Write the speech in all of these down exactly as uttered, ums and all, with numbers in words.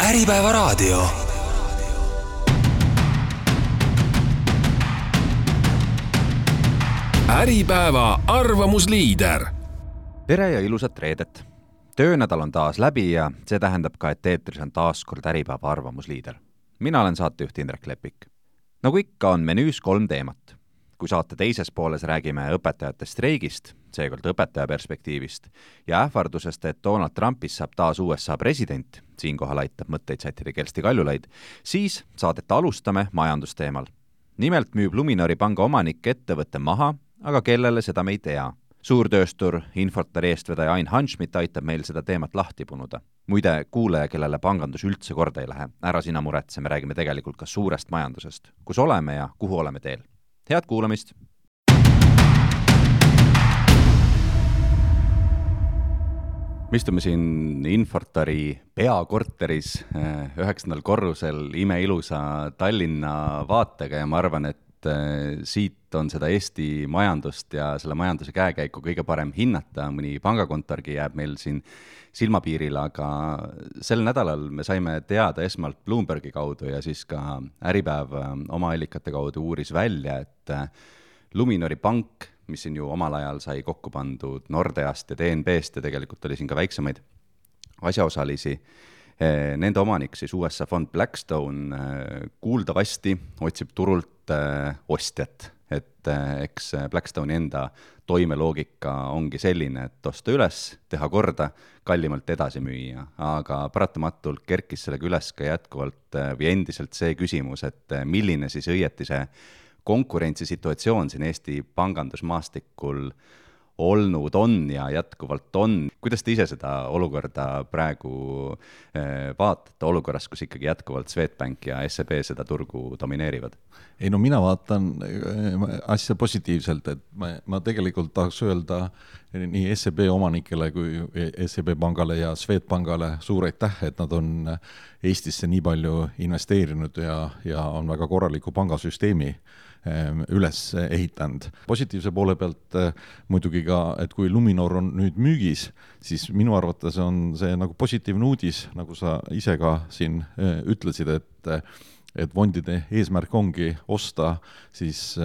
Äripäeva raadio. Äripäeva arvamusliider. Tere ja ilusat reedet. Töönädal on taas läbi ja see tähendab ka, et eetris on taas kord Äripäeva arvamusliider. Mina olen saatejuht Indrek Lepik. Nagu ikka on menüüs kolm teemat. Kui saate teises pooles räägime õpetajate streigist, seekord õpetaja perspektiivist, ja ähvardusest, et Donald Trumpist saab taas U S A president, siinkohal aitab mõtteid sättida Kersti Kaljulaid, siis saadet alustame majandusteemal. Nimelt müüb Luminori panga omanik ettevõtte maha, aga kellele seda me ei tea. Suurtööstur Infortari eestvedaja Ain Hanschmidt aitab meil seda teemat lahti punuda. Muide, kuulaja, kellele pangandus üldse korda ei lähe, ära sina muretse, me räägime tegelikult ka suurest majandusest, kus oleme ja kuhu oleme teel. Head kuulamist! Me istume siin Infortari peakorteris üheksandal korrusel imeilusa Tallinna vaatega ja ma arvan, et siit on seda Eesti majandust ja selle majanduse käekäiku kõige parem hinnata. Mõni pangakontorgi jääb meil siin silmapiiril, aga sel nädalal me saime teada esmalt Bloombergi kaudu ja siis ka Äripäev oma allikate kaudu uuris välja, et Luminori pank, mis siin ju omal ajal sai kokku pandud Nordeast ja D N B'st ja tegelikult oli siin ka väiksemaid asjaosalisi, nende omanik, siis U S A fond Blackstone, kuuldavasti otsib turult ostjat, et eks Blackstone'i enda toimeloogika ongi selline, et osta üles, teha korda, kallimalt edasi müüa, aga paratamatult kerkis sellega üles ka jätkuvalt või endiselt see küsimus, et milline siis õieti see konkurentsisituatsioon siin Eesti pangandusmaastikul olnud on ja jätkuvalt on. Kuidas te ise seda olukorda praegu vaatate olukorras, kus ikkagi jätkuvalt Swedbank ja S E B seda turgu domineerivad? Ei no mina vaatan asja positiivselt, et ma, ma tegelikult tahaks öelda nii S E B omanikele kui S E B pangale ja Swedbankale suur aitäh, et nad on Eestisse nii palju investeerinud ja, ja on väga korraliku pangasüsteemi üles ehitanud. Positiivse poole pealt muidugi ka, et kui Luminor on nüüd müügis, siis minu arvates on see nagu positiivne uudis, nagu sa ise ka siin ütlesid, et et fondide eesmärk ongi osta, siis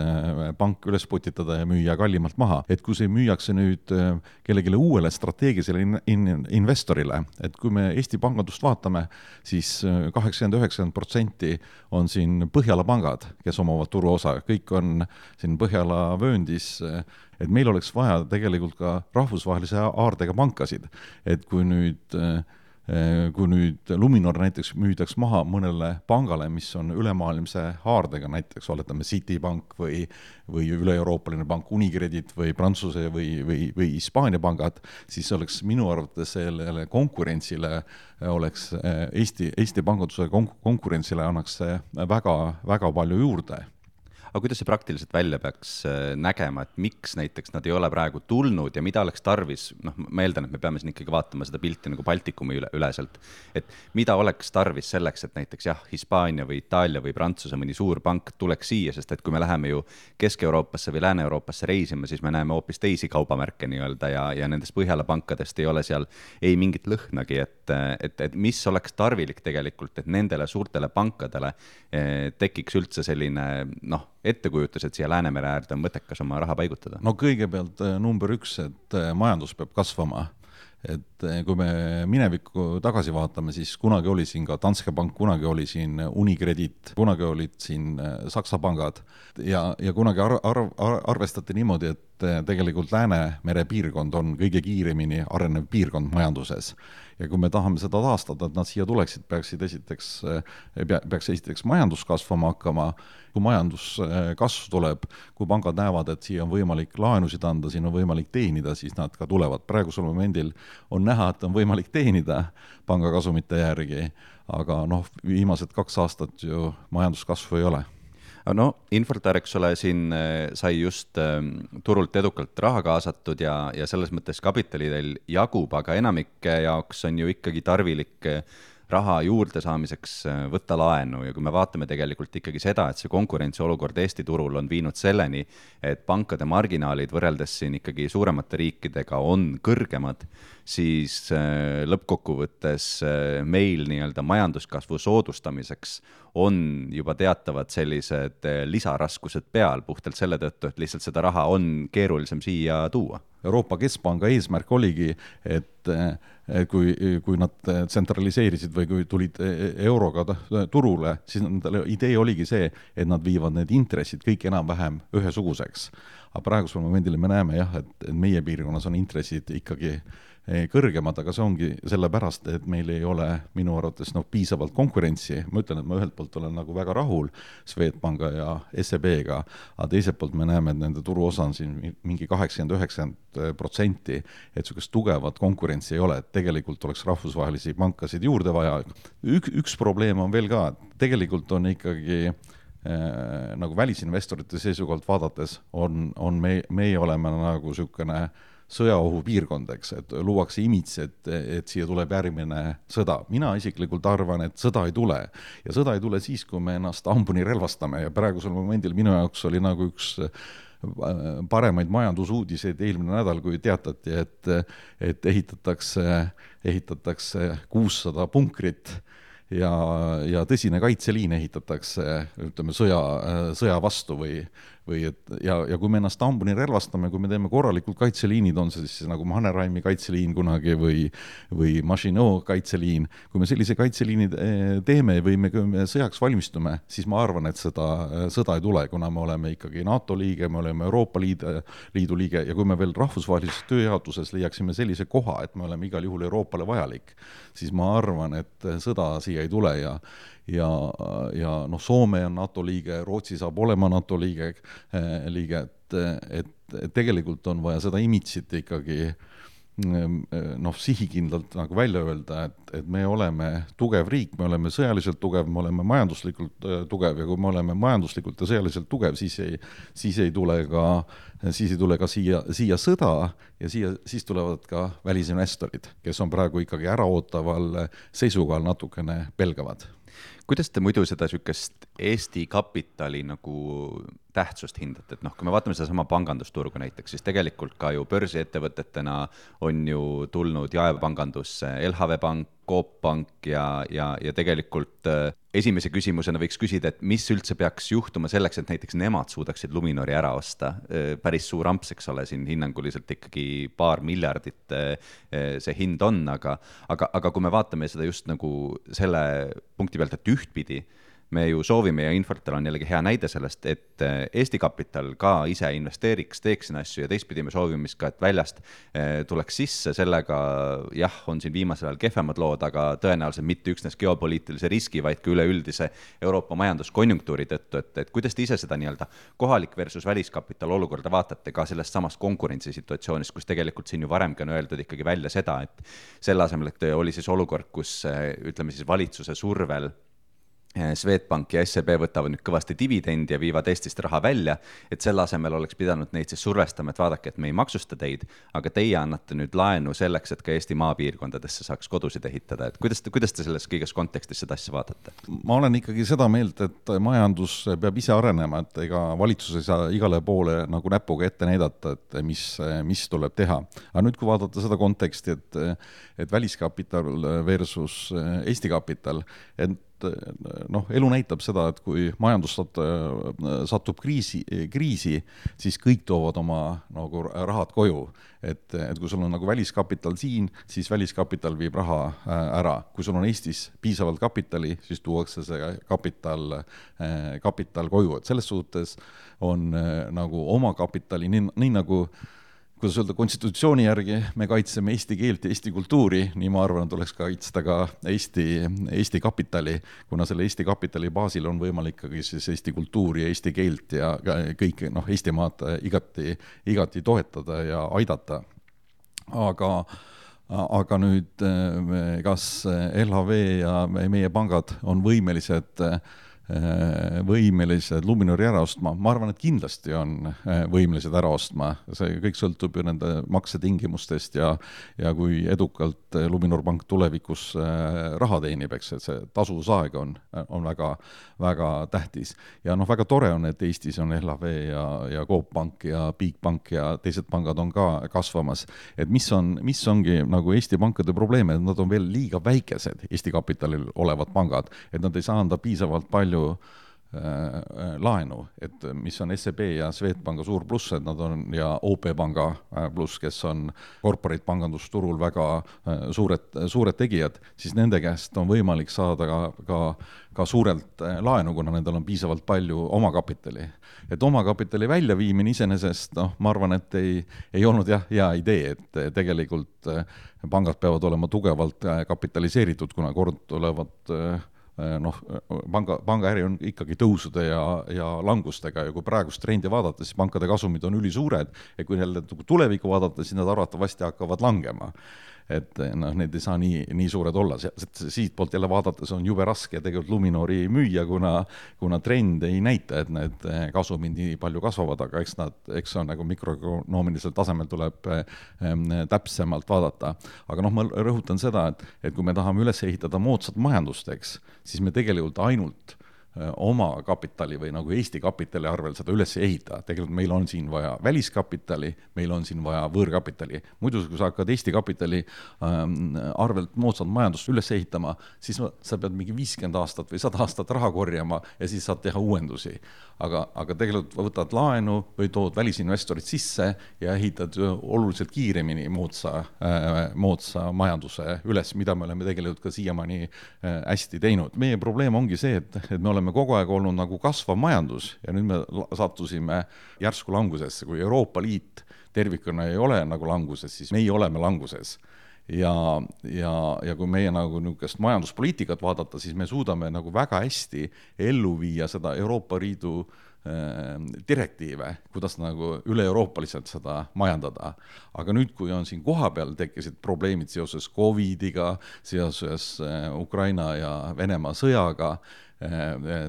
pank üles putitada ja müüa kallimalt maha. Et kui see müüakse nüüd kellegile uuele strateegilisele in- in- investorile, et kui me Eesti pangandust vaatame, siis kaheksakümmend üheksakümmend protsenti on siin Põhjala pangad, kes omavad turuosa. Kõik on siin Põhjala vööndis, et meil oleks vaja tegelikult ka rahvusvahelise aardega pankasid. Et kui nüüd kui nüüd Luminor näiteks müüdaks maha mõnele pangale, mis on ülemaailmse haardega, näiteks oletame Citibank või, või üle-euroopaline pank Unicredit või Prantsuse või, või, või Hispaania pangad, siis oleks minu arvates sellele konkurentsile oleks Eesti, Eesti panganduse konkurentsile annaks väga, väga palju juurde. Aga kuidas see praktiliselt välja peaks nägema, et miks näiteks nad ei ole praegu tulnud ja mida oleks tarvis, noh, ma eeldan, et me peame siin ikkagi vaatama seda pilti nagu Baltikumi üle, üleselt, et mida oleks tarvis selleks, et näiteks jah, Hispaania või Itaalia või Prantsuse mõni suur pank tuleks siia, sest et kui me läheme ju Kesk-Euroopasse või Lääne-Euroopasse reisima, siis me näeme hoopis teisi kaubamärke nii-öelda ja, ja nendest Põhjala pankadest ei ole seal ei mingit lõhnagi, et, et, et mis oleks tarvilik tegelikult, et nendele suurtele pankadele eh, tekiks üldse selline, noh, ettekujutus, et siia Läänemere äärde on mõttekas oma raha paigutada? No kõigepealt number üks, et majandus peab kasvama. Et kui me minevikku tagasi vaatame, siis kunagi oli siin ka Danske Bank, kunagi oli siin Unicredit, kunagi olid siin Saksa pangad ja, ja kunagi ar- ar- arvestati niimoodi, et tegelikult Läänemere piirkond on kõige kiiremini arenev piirkond majanduses. Ja kui me tahame seda taastada, et nad siia tuleksid, peaksid esiteks, peaks esiteks majandus kasvama hakkama. Kui majandus kasv tuleb, kui pangad näevad, et siia on võimalik laenusid anda, siin on võimalik teenida, siis nad ka tulevad. Praegusel momendil on näha, et on võimalik teenida pangakasumite järgi, aga noh, viimased kaks aastat ju majanduskasvu ei ole. No, Infortar, eks ole, siin sai just turult edukalt raha kaasatud ja, ja selles mõttes kapitalidel jagub, aga enamike jaoks on ju ikkagi tarvilik raha juurde saamiseks võtta laenu ja kui me vaatame tegelikult ikkagi seda, et see konkurentsiolukord Eesti turul on viinud selleni, et pankade marginaalid võrreldes siin ikkagi suuremate riikidega on kõrgemad, siis lõppkokkuvõttes meil nii-öelda majanduskasvu soodustamiseks on juba teatavad sellised lisaraskused peal puhtalt selle tõttu, et lihtsalt seda raha on keerulisem siia tuua. Euroopa Keskpanga eesmärk oligi, et kui, kui nad tsentraliseerisid või kui tulid euroga turule, siis nendele idee oligi see, et nad viivad need intressid kõik enam-vähem ühesuguseks. Aga praegusel momendil me näeme jah, et meie piirkonnas on intressid ikkagi kõrgemad, aga see ongi sellepärast, et meil ei ole minu arvates no, piisavalt konkurentsi. Ma ütlen, et ma ühelt poolt olen nagu väga rahul Swedbanka ja S E B-ga, aga teiselt poolt me näeme, et nende turuosa on siin mingi kaheksakümmend üheksakümmend protsenti, et sellist tugevat konkurentsi ei ole, et tegelikult oleks rahvusvahelisi pankasid juurde vaja. Ük, üks probleem on veel ka, et tegelikult on ikkagi äh, nagu välisinvestorite seisukohalt vaadates on, on me, meie oleme nagu sükene sõjaohu piirkondeks, et luuakse imits, et, et siia tuleb järgmine sõda. Mina isiklikult arvan, et sõda ei tule. Ja sõda ei tule siis, kui me ennast hambuni relvastame ja praegusel momendil minu jaoks oli nagu üks paremaid majandusuudiseid eelmine nädal, kui teatati, et, et ehitatakse, ehitatakse kuussada punkrit ja, ja tõsine kaitseliin ehitatakse ütleme, sõja, sõja vastu või või et, ja, ja kui me ennast hambuni relvastame, kui me teeme korralikult kaitseliinid, on see siis nagu Mannerheimi kaitseliin kunagi või, või Maginot kaitseliin, kui me sellise kaitseliini teeme või me, me sõjaks valmistume, siis ma arvan, et seda sõda ei tule, kuna me oleme ikkagi NATO liige, me oleme Euroopa Liidu, Liidu liige ja kui me veel rahvusvahelises tööjaotuses leiaksime sellise koha, et me oleme igal juhul Euroopale vajalik, siis ma arvan, et sõda siia ei tule ja ja, ja noh, Soome on NATO liige, Rootsi saab olema NATO liige, liige et, et tegelikult on vaja seda imitsit ikkagi noh, sihikindlalt nagu välja öelda, et, et me oleme tugev riik, me oleme sõjaliselt tugev, me oleme majanduslikult tugev ja kui me oleme majanduslikult ja sõjaliselt tugev, siis ei, siis ei tule ka, siis ei tule ka siia, siia sõda ja siia, siis tulevad ka välisinvestorid, kes on praegu ikkagi äraootaval seisukohal natukene pelgavad. Kuidas te muidu seda sükest Eesti kapitali nagu tähtsust hindate, et noh, kui me vaatame seda sama pangandusturgu näiteks, siis tegelikult ka ju börsiettevõtetena on ju tulnud jaepangandus L H V Pank, Coop Pank ja, ja, ja tegelikult äh, esimese küsimusena võiks küsida, et mis üldse peaks juhtuma selleks, et näiteks nemad suudaksid Luminori ära osta. Äh, päris suur amps, eks ole, siin hinnanguliselt ikkagi paar miljardit äh, see hind on, aga, aga, aga kui me vaatame seda just nagu selle punkti pealt, et ühtpidi, me ju soovime ja Infortar on jällegi hea näide sellest, et Eesti kapital ka ise investeeriks, teeks siin asju ja teistpidi me soovime ka, et väljast tuleks sisse, sellega jah, on siin viimasel ajal kehvemad lood, aga tõenäoliselt mitte üksnes geopoliitilise riski, vaid ka üleüldise Euroopa majanduskonjunktuuri tõttu, et, et kuidas te ise seda nii-öelda kohalik versus väliskapital olukorda vaatate ka sellest samast konkurentsisituatsioonist, kus tegelikult siin ju varemgi on öeldud ikkagi välja seda, et selle asemel, et oli siis olukord, kus ütleme siis valitsuse survel Swedbank ja S E B võtavad nüüd kõvasti dividendi ja viivad Eestist raha välja, et selle asemel oleks pidanud neid siis survestama, et vaadake, et me ei maksusta teid, aga teie annate nüüd laenu selleks, et ka Eesti maapiirkondadesse saaks kodusid ehitada. Et kuidas, te, kuidas te selles kõiges kontekstis seda asja vaatate? Ma olen ikkagi seda meelt, et majandus peab ise arenema, et ega valitsus ei saa igale poole nagu näpuga ette näidata, et mis, mis tuleb teha. Aga nüüd, kui vaadata seda konteksti, et, et väliskapital versus Eesti kapital, et noh, elu näitab seda, et kui majandus satub kriisi, kriisi, siis kõik toovad oma nagu rahad koju. Et, et kui sul on nagu väliskapital siin, siis väliskapital viib raha ära. Kui sul on Eestis piisavalt kapitali, siis tuuakse see kapital, kapital koju. Et selles suhtes on nagu oma kapitali, nii, nii nagu kuidas öelda, konstitutsiooni järgi me kaitseme eesti keelt ja eesti kultuuri, nii ma arvan, et tuleks kaitsta ka Eesti, Eesti kapitali, kuna selle Eesti kapitali baasil on võimalik ikkagi siis eesti kultuuri ja eesti keelt ja kõik no, Eesti maad igati, igati toetada ja aidata. Aga, aga nüüd kas L H V ja meie pangad on võimelised võimelised Luminori ära ostma, ma arvan, et kindlasti on võimelised ära ostma, see kõik sõltub ju nende maksetingimustest ja, ja kui edukalt Luminor Pank tulevikus raha teenib, eks, et see tasuvusaeg on, on väga, väga tähtis. Ja noh, väga tore on, et Eestis on L H V ja, ja Coop Pank ja Bigbank ja teised pangad on ka kasvamas. Et mis on, mis ongi nagu Eesti pankade probleeme, et nad on veel liiga väikesed Eesti kapitalil olevad pangad, et nad ei saa anda piisavalt palju laenu, et mis on S E B ja Swedbanka suur pluss, et nad on ja O P Panga pluss, kes on corporate pangandusturul väga suured, suured tegijad, siis nende käest on võimalik saada ka, ka, ka suurelt laenu, kuna nendel on piisavalt palju omakapitali. Et omakapitali väljaviimine iseenesest, noh, ma arvan, et ei, ei olnud jah, hea idee, et tegelikult pangad peavad olema tugevalt kapitaliseeritud, kuna kord tulevad noh, panga, pangaäri on ikkagi tõusude ja, ja langustega ja kui praegust trendi vaadata, siis pankade kasumid on ülisuured ja kui jälle tulevikku vaadata, siis nad arvatavasti hakkavad langema. Et noh, need ei saa nii, nii suured olla. Siit poolt jälle vaadates on jube raske tegelikult Luminori müüa, kuna, kuna trend ei näita, et need kasumid nii palju kasvavad, aga eks nad, eks on nagu mikroökonoomilisel tasemel tuleb täpsemalt vaadata. Aga noh, ma rõhutan seda, et, et kui me tahame üles ehitada moodsat majandusteks, siis me tegelikult ainult oma kapitali või nagu Eesti kapitali arvel seda üles ehita. Tegelikult meil on siin vaja väliskapitali, meil on siin vaja võõrkapitali. Muidu, kui sa hakkad Eesti kapitali arvelt moodsat majandust üles ehitama, siis sa pead mingi viiskümmend aastat või sada aastat raha korjama ja siis saad teha uuendusi. Aga, aga tegelikult võtad laenu või tood välisinvestorid sisse ja ehitad oluliselt kiiremini moodsa, moodsa majanduse üles, mida me oleme tegelikult ka siiamaani hästi teinud. Meie probleem ongi see, et, et me oleme oleme kogu aeg olnud nagu kasvav majandus ja nüüd me sattusime järsku langusesse. Kui Euroopa Liit tervikuna ei ole nagu languses, siis meie oleme languses. Ja, ja, ja kui meie nagu niisugust majanduspoliitikat vaadata, siis me suudame nagu väga hästi ellu viia seda Euroopa Liidu direktiive, kuidas nagu üle-euroopaliselt seda majandada. Aga nüüd, kui on siin koha peal tekkisid probleemid seoses covidiga, seoses Ukraina ja Venemaa sõjaga,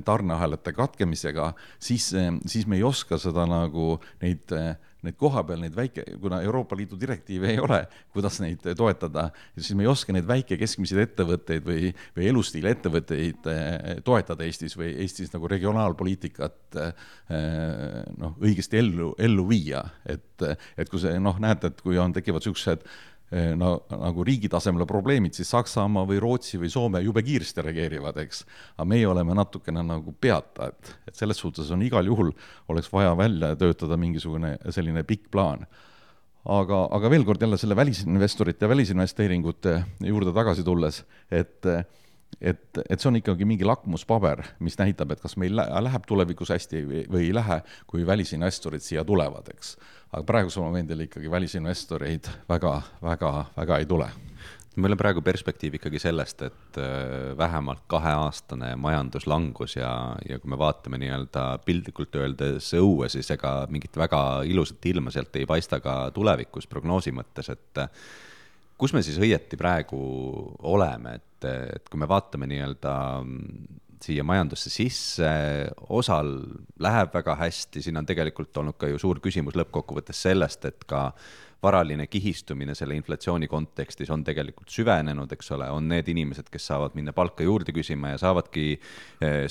tarneahelate katkemisega, siis, siis me ei oska seda nagu neid, neid koha peal, neid väike, kuna Euroopa Liidu direktiive ei ole, kuidas neid toetada, siis me ei oska neid väike keskmiseid ettevõtteid või, või elustiili ettevõtteid toetada Eestis või Eestis nagu regionaalpoliitikat noh, õigesti ellu, ellu viia. Et, et kui see, noh, näete, et kui on, tekivad sellised no, nagu riigi tasemele probleemid, siis Saksamaa või Rootsi või Soome jube kiiresti reageerivad, eks. Aga meie oleme natukene nagu peata, et, et selles suhtes on igal juhul oleks vaja välja töötada mingisugune selline pikk plaan. Aga, aga veel kord jälle selle välisinvestorite ja välisinvesteeringute juurde tagasi tulles, et Et, et see on ikkagi mingi lakmuspaber, mis näitab, et kas meil läheb tulevikus hästi või ei lähe, kui välisinvestorid siia tulevad, eks. Aga praegusel momendil ikkagi välisinvestoreid väga, väga, väga ei tule. Meil on praegu perspektiiv ikkagi sellest, et vähemalt kaheaastane majanduslangus ja, ja kui me vaatame nii-öelda piltlikult öeldes õue, siis ega mingit väga ilusat ilma sealt ei paista ka tulevikus prognoosi mõttes, et kus me siis õieti praegu oleme, et, et kui me vaatame nii-öelda siia majandusse sisse, osal läheb väga hästi, siin on tegelikult olnud ka ju suur küsimus lõppkokkuvõttes sellest, et ka varaline kihistumine selle inflatsiooni kontekstis on tegelikult süvenenud, eks ole, on need inimesed, kes saavad minna palka juurde küsima ja saavadki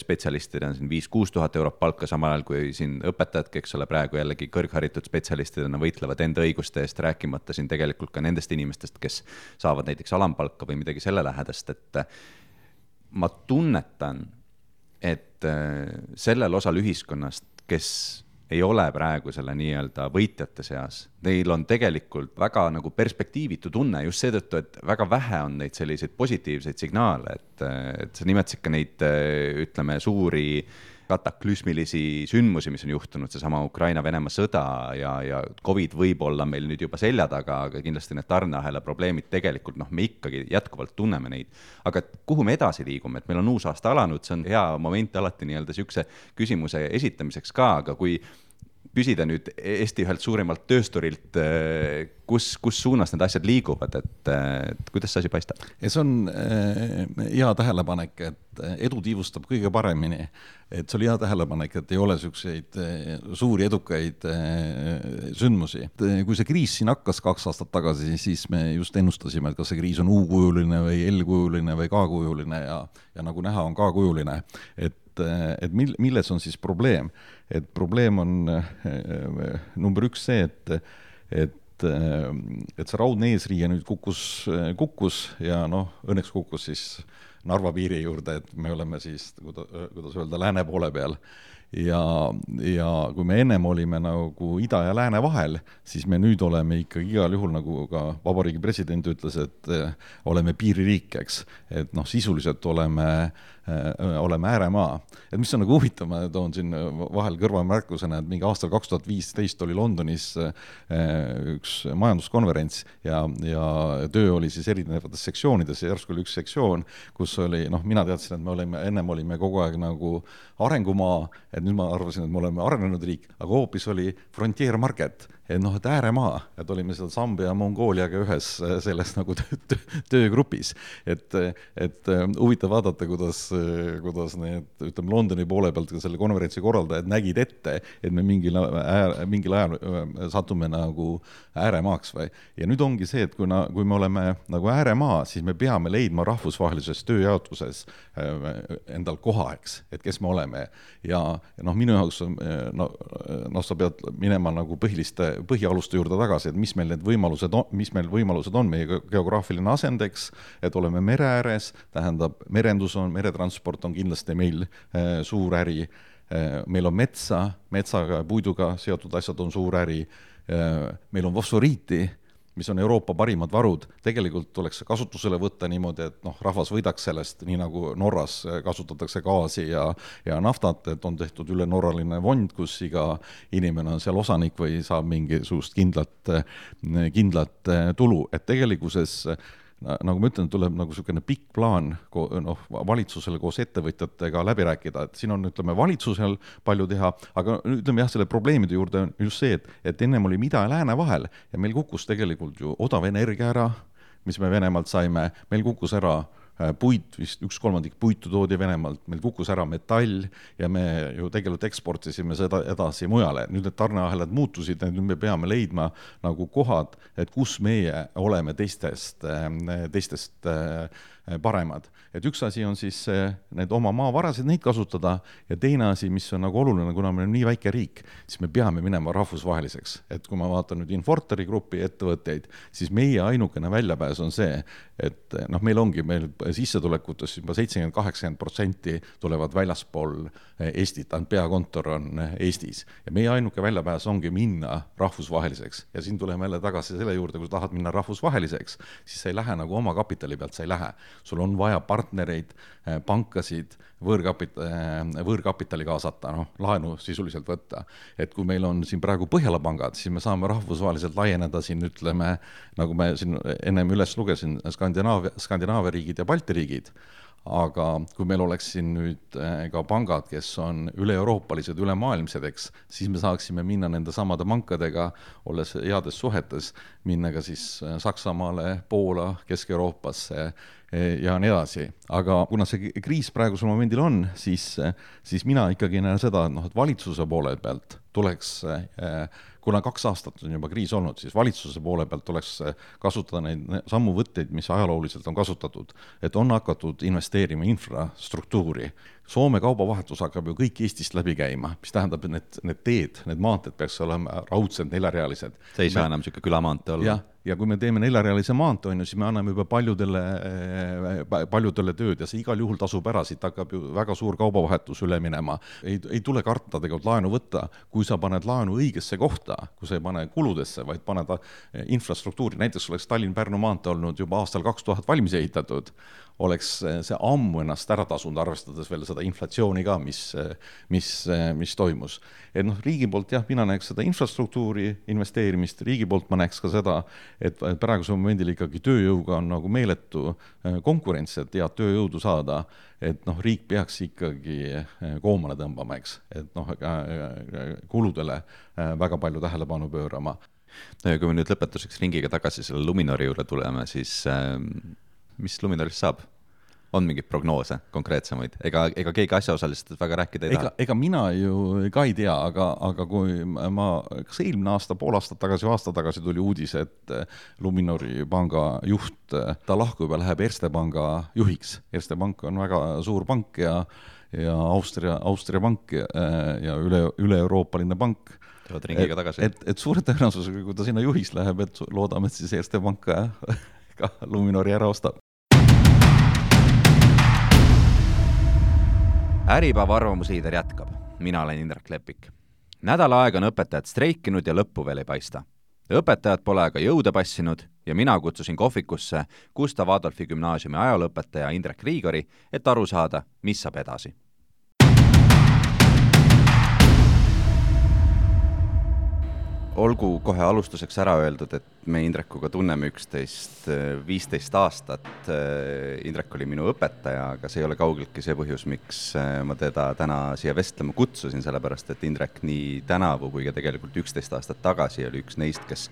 spetsialistidena siin viis kuus tuhat eurot palka, samal ajal kui siin õpetajadki, eks ole, praegu jällegi kõrgharitud spetsialistidena võitlevad enda õiguste eest, rääkimata siin tegelikult ka nendest inimestest, kes saavad näiteks alampalka või midagi selle lähedast, et ma tunnetan, et sellel osal ühiskonnast, kes ei ole praegu selle nii-öelda võitjate seas. Neil on tegelikult väga nagu perspektiivitu tunne just seetõttu, et väga vähe on neid selliseid positiivseid signaale, et, et sa nimetasid ka neid, ütleme, suuri kataklüsmilisi sündmusi, mis on juhtunud, seesama Ukraina-Venemaa sõda ja, ja Covid võib olla meil nüüd juba selja taga, aga kindlasti need tarneahela probleemid tegelikult, noh, me ikkagi jätkuvalt tunneme neid. Aga kuhu me edasi liigume, et meil on uus aasta alanud, see on hea moment alati nii-öelda sihukese küsimuse esitamiseks ka, aga kui küsida nüüd Eesti ühelt suurimalt töösturilt, kus, kus suunas need asjad liiguvad, et, et kuidas see asi paistab? Ja see on hea tähelepanek, et edu tiivustab kõige paremini. Et see oli hea tähelepanek, et ei ole selliseid suuri edukaid sündmusi. Kui see kriis siin hakkas kaks aastat tagasi, siis me just ennustasime, et kas see kriis on U-kujuline või L-kujuline või K-kujuline ja, ja nagu näha on K-kujuline. Et, et milles on siis probleem? Et probleem on number üks see, et, et et see raudne eesriie nüüd kukkus, kukkus ja noh, õnneks kukkus siis Narva piiri juurde, et me oleme siis, kuidas öelda, lääne poole peal. Ja, ja kui me ennem olime nagu ida ja lääne vahel, siis me nüüd oleme ikkagi igal juhul, nagu ka vabariigi president ütles, et oleme piiririik, eks. Et noh, sisuliselt oleme, oleme ääremaa. Et mis on nagu huvitav, ma toon siin vahel kõrvamärkusena, et mingi aastal kaks tuhat viisteist oli Londonis üks majanduskonverents ja, ja töö oli siis erinevates sektsioonides ja järsku oli üks sektsioon, kus oli, noh, mina teadsin, et me olime, ennem olime kogu aeg nagu arengumaa, et nüüd ma arvasin, et me oleme arenenud riik, aga hoopis oli frontier market, et noh, et ääremaa, et olime seal Sambia ja Mongooliaga ühes selles nagu töögrupis, et, et huvitav vaadata, kuidas, kuidas need, ütleme, Londoni poole pealt selle konverentsi korraldajad nägid ette, et me mingil, äär, mingil ajal satume nagu ääremaaks või. Ja nüüd ongi see, et kui, na, kui me oleme nagu ääremaa, siis me peame leidma rahvusvahelises tööjaotuses endal koha, eks, et kes me oleme. Ja noh, minu jaoks no, no, sa pead minema nagu põhiliste põhialuste juurde tagasi, et mis meil need võimalused on, mis meil võimalused on meie geograafiline asendeks, et oleme mere ääres, tähendab merendus on, meretransport on kindlasti meil äh, suur äri, äh, meil on metsa, metsaga ja puiduga seotud asjad on suur äri, äh, meil on fosforiiti, mis on Euroopa parimad varud, tegelikult tuleks kasutusele võtta niimoodi, et noh, rahvas võidaks sellest, nii nagu Norras kasutatakse gaasi ja, ja naftat, et on tehtud üle norraline fond, kus iga inimene on seal osanik või saab mingisugust kindlat, kindlat tulu, et tegelikkuses nagu ma ütlen, tuleb nagu selline pikk plaan noh, valitsusele koos ettevõtjatega läbi rääkida, et siin on, ütleme, valitsusel palju teha, aga ütleme jah, selle probleemide juurde on just see, et, et ennem oli ida ja lääne vahel ja meil kukkus tegelikult ju odav energia ära, mis me Venemaalt saime, meil kukkus ära puit, vist üks kolmandik puitu toodi Venemaalt, meil kukkus ära metall ja me ju tegelikult eksportisime seda edasi mujale. Nüüd need tarneahelad muutusid, nüüd me peame leidma nagu kohad, et kus meie oleme teistest, teistest paremad. Et üks asi on siis need oma maavarasid, neid kasutada ja teine asi, mis on nagu oluline, kuna me oleme nii väike riik, siis me peame minema rahvusvaheliseks. Et kui ma vaatan nüüd Infortari grupi ettevõtteid, siis meie ainukene väljapääs on see, et noh, meil ongi, meil sissetulekutes juba seitsekümmend kuni kaheksakümmend protsenti tulevad väljaspool Eestit, peakontor on Eestis ja meie ainuke väljapääs ongi minna rahvusvaheliseks ja siin tuleme jälle tagasi selle juurde, kui tahad minna rahvusvaheliseks, siis sa ei lähe nagu oma kapitali pealt, sa ei lähe. Sul on vaja partnereid, pankasid, võõrkapitali, võõrkapitali kaasata, noh, laenu sisuliselt võtta. Et kui meil on siin praegu Põhjala pangad, siis me saame rahvusvaheliselt laieneda siin, ütleme, nagu me siin ennem üles lugesin, Skandinaavia, Skandinaavia riigid ja Balti riigid, aga kui meil oleks siin nüüd ka pangad, kes on üle-euroopalised, ülemaailmsedeks, siis me saaksime minna nende samade pankadega, olles heades suhetes, minna ka siis Saksamaale, Poola, Kesk-Euroopasse ja nii edasi. Aga kuna see kriis praegusel momendil on, siis, siis mina ikkagi näen seda, et, noh, et valitsuse poole pealt tuleks, kuna kaks aastat on juba kriis olnud, siis valitsuse poole pealt tuleks kasutada neid sammuvõtteid, mis ajalooliselt on kasutatud, et on hakatud investeerima infrastruktuuri. Soome kaubavahetus hakkab ju kõik Eestist läbi käima, mis tähendab, et need, need teed, need maanteed peaks olema raudselt neljarealised. See ei saa enam selline külamaante olla. Ja, ja kui me teeme neljarealise maante, on ju, siis me anname juba paljudele, paljudele tööd ja see igal juhul tasub ära, siit hakkab ju väga suur kaubavahetus üle minema. Ei, ei tule karta tegelikult laenu võtta, kui sa paned laenu õigesse kohta, kui sa ei pane kuludesse, vaid paned infrastruktuuri. Näiteks oleks Tallinn-Pärnu maante olnud juba aastal kaks tuhat valmis ehitatud, oleks see ammu ennast ära tasunud, arvestades veel seda inflatsiooni ka, mis, mis, mis toimus. Et noh, riigi poolt jah, mina näeks seda infrastruktuuri investeerimist, riigi poolt ma näeks ka seda, et praegusel momendil ikkagi tööjõuga on nagu meeletu konkurents, et head tööjõudu saada, et noh, riik peaks ikkagi koomale tõmbama, eks, et noh, kuludele väga palju tähelepanu pöörama. No ja kui me nüüd lõpetuseks ringiga tagasi selle Luminori juurde tuleme, siis äh, mis Luminorist saab? On mingid prognoose konkreetsemaid? Ega, ega keegi asjaosalisest väga rääkida ei ega, taha? Ega mina ju ka ei tea, aga, aga kui ma, kas eelmine aasta, pool aastat tagasi, aasta tagasi tuli uudis, et Luminori panga juht, ta lahkub ja läheb Erste panga juhiks. Erste pank on väga suur pank ja, ja Austria, Austria pank ja, ja üle, üle Euroopaline pank. Et, et, et suure tõenäosusega, kui ta sinna juhiks läheb, et loodame, et siis Erste pank ka, ka Luminori ära ostab. Äripäeva arvamusliider jätkab. Mina olen Indrek Lepik. Nädala aega on õpetajad streikinud ja lõppu veel ei paista. Õpetajad pole aga jõude passinud ja mina kutsusin kohvikusse Gustav Adolfi gümnaasiumi ajalõpetaja Indrek Riigori, et aru saada, mis saab edasi. Olgu kohe alustuseks ära öeldud, et me Indrekuga tunneme üksteist viisteist aastat. Indrek oli minu õpetaja, aga see ei ole kaugeltki see põhjus, miks ma teda täna siia vestlema kutsusin, sellepärast et Indrek nii tänavu kui ka tegelikult üksteist aastat tagasi oli üks neist, kes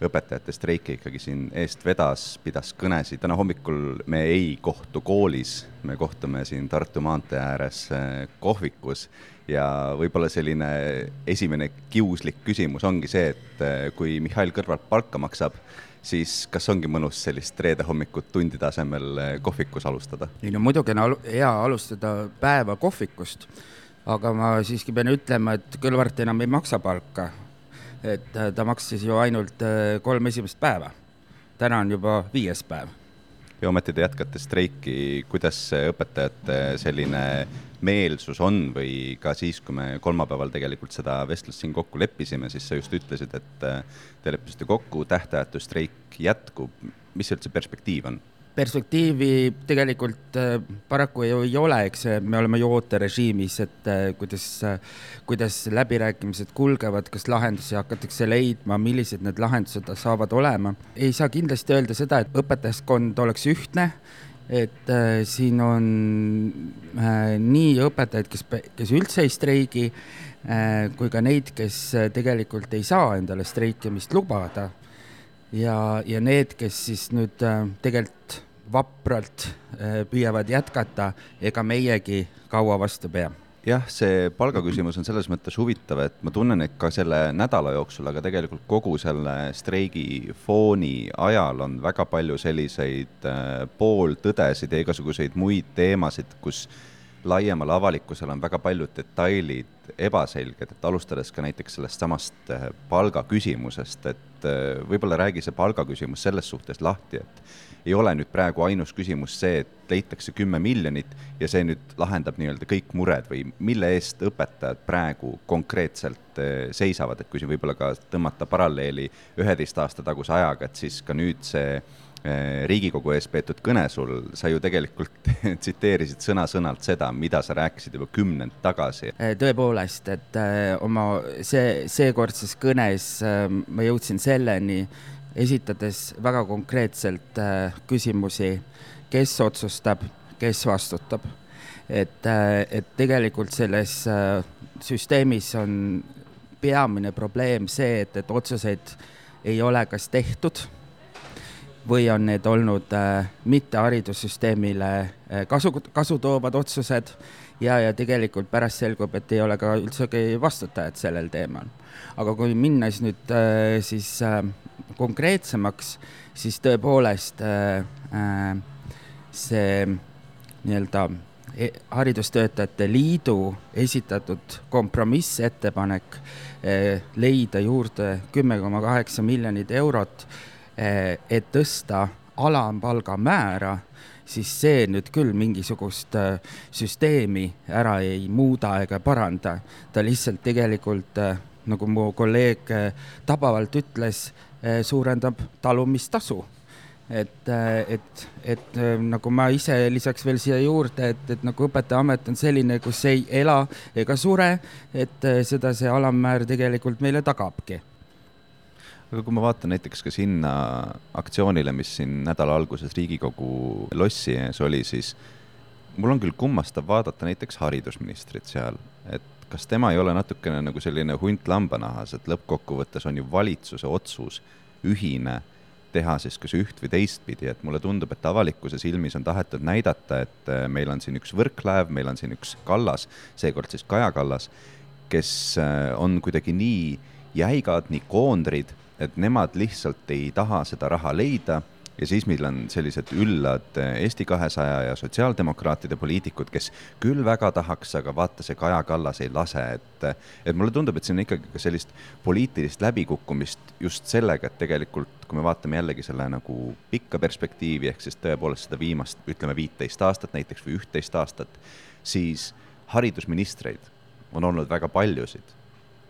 õpetajate streiki ikkagi siin eest vedas, pidas kõnesid. Täna hommikul me ei kohtu koolis, me kohtume siin Tartu maantee ääres kohvikus ja võib-olla selline esimene kiuslik küsimus ongi see, et kui Mihhail Kõrvalt palka maksab, siis kas ongi mõnus sellist reede hommikut tundide asemel kohvikus alustada? Ei, no muidugi on hea alustada päeva kohvikust, aga ma siiski pean ütlema, et Kõlvart enam ei maksa palka. Et ta maksis ju ainult kolm esimest päeva. Täna on juba viies päev. Ja ometi te jätkate streiki, kuidas õpetajate selline meelsus on või ka siis, kui me kolmapäeval tegelikult seda vestlust siin kokku leppisime, siis sa just ütlesid, et te leppisite kokku, tähtajatu streik jätkub. Mis üldse perspektiiv on? Perspektiivi tegelikult paraku ei ole, eks me oleme ju ooterežiimis, et kuidas, kuidas läbirääkimised kulgevad, kas lahendusi hakatakse leidma, millised need lahendused saavad olema. Ei saa kindlasti öelda seda, et õpetajaskond oleks ühtne, et äh, siin on äh, nii õpetajaid, kes, kes üldse ei streigi, äh, kui ka neid, kes tegelikult ei saa endale streikimist lubada. Ja, ja need, kes siis nüüd äh, tegelikult vapralt äh, püüavad jätkata, ega meiegi kaua vastu pea. Jah, see palgaküsimus on selles mõttes huvitav, et ma tunnen, et ka selle nädala jooksul, aga tegelikult kogu selle streigi fooni ajal on väga palju selliseid äh, pooltõdesid ja igasuguseid muid teemasid, kus laiemal avalikkusel on väga paljud detailid ebaselged, et alustades ka näiteks sellest samast palgaküsimusest, et võib-olla räägi see palgaküsimus selles suhtes lahti, et ei ole nüüd praegu ainus küsimus see, et leitakse kümme miljonit ja see nüüd lahendab nii-öelda kõik mured või mille eest õpetajad praegu konkreetselt seisavad, et kui siin võib-olla ka tõmmata paralleeli üheteist aasta taguse ajaga, et siis ka nüüd see Riigikogu ees peetud kõne sul, sa ju tegelikult tsiteerisid sõna-sõnalt seda, mida sa rääkisid juba kümnend tagasi. Tõepoolest, et oma see, seekordses kõnes ma jõudsin selleni, esitades väga konkreetselt küsimusi, kes otsustab, kes vastutab. Et, et tegelikult selles süsteemis on peamine probleem see, et, et otsuseid ei ole kas tehtud, või on need olnud äh, mitte haridussüsteemile äh, kasu, kasu toovad otsused ja, ja tegelikult pärast selgub, et ei ole ka üldsegi vastutajad sellel teemal. Aga kui minnes nüüd äh, siis äh, konkreetsemaks, siis tõepoolest äh, äh, see nii-öelda haridustöötajate liidu esitatud kompromissettepanek äh, leida juurde kümme koma kaheksa miljonit eurot, et tõsta alampalga määra, siis see nüüd küll mingisugust süsteemi ära ei muuda ega paranda. Ta lihtsalt tegelikult, nagu mu kolleeg tabavalt ütles, suurendab talumistasu. et, et, et nagu ma ise lisaks veel siia juurde, et, et nagu õpetajaamet on selline, kus ei ela ega sure, et seda see alammäär tegelikult meile tagabki. Aga kui ma vaatan näiteks ka sinna aktsioonile, mis siin nädala alguses Riigikogu lossi ees oli, siis mul on küll kummastav vaadata näiteks haridusministrit seal, et kas tema ei ole natukene nagu selline hunt lambanahas, et lõppkokkuvõttes on ju valitsuse otsus ühine teha siis kas üht või teistpidi, et mulle tundub, et avalikkuse silmis on tahetud näidata, et meil on siin üks Võrklaev, meil on siin üks Kallas, seekord siis Kaja Kallas, kes on kuidagi nii jäigad, nii koondrid, et nemad lihtsalt ei taha seda raha leida ja siis meil on sellised üllad Eesti kahesaja ja sotsiaaldemokraatide poliitikud, kes küll väga tahaks, aga vaata see Kaja Kallas ei lase, et, et mulle tundub, et see on ikkagi ka sellist poliitilist läbikukkumist just sellega, et tegelikult kui me vaatame jällegi selle nagu pikka perspektiivi, ehk siis tõepoolest seda viimast, ütleme viiteist aastat näiteks või ühteist aastat, siis haridusministreid on olnud väga paljusid.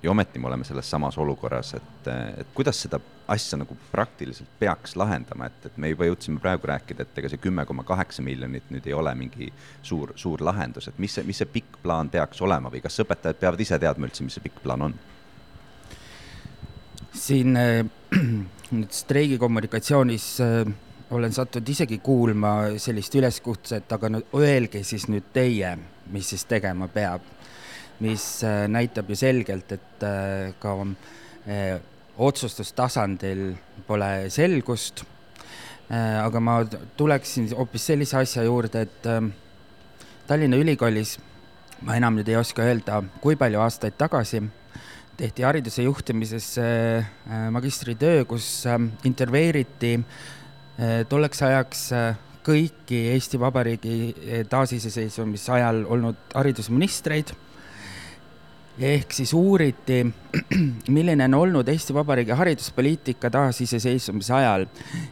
Ja ometi me oleme selles samas olukorras, et, et kuidas seda asja nagu praktiliselt peaks lahendama, et, et me juba jõudsime praegu rääkida, et ega see kümme koma kaheksa miljonit nüüd ei ole mingi suur, suur lahendus, et mis see, mis see pikk plaan peaks olema või kas õpetajad peavad ise teadma üldse, mis see pikk plaan on? Siin nüüd streigi kommunikatsioonis olen sattunud isegi kuulma sellist üleskutset, aga nüüd öelge siis nüüd teie, mis siis tegema peab, mis näitab ju selgelt, et ka otsustustasandil pole selgust. Aga ma tuleksin hoopis sellise asja juurde, et Tallinna Ülikoolis, ma enam nüüd ei oska öelda, kui palju aastaid tagasi, tehti hariduse juhtimises magistritöö, kus interveeriti tolleks ajaks kõiki Eesti Vabariigi taasiseseisvumise ajal olnud haridusministreid. Ehk siis uuriti, milline on olnud Eesti Vabariigi hariduspoliitika taasiseseisvumise ajal.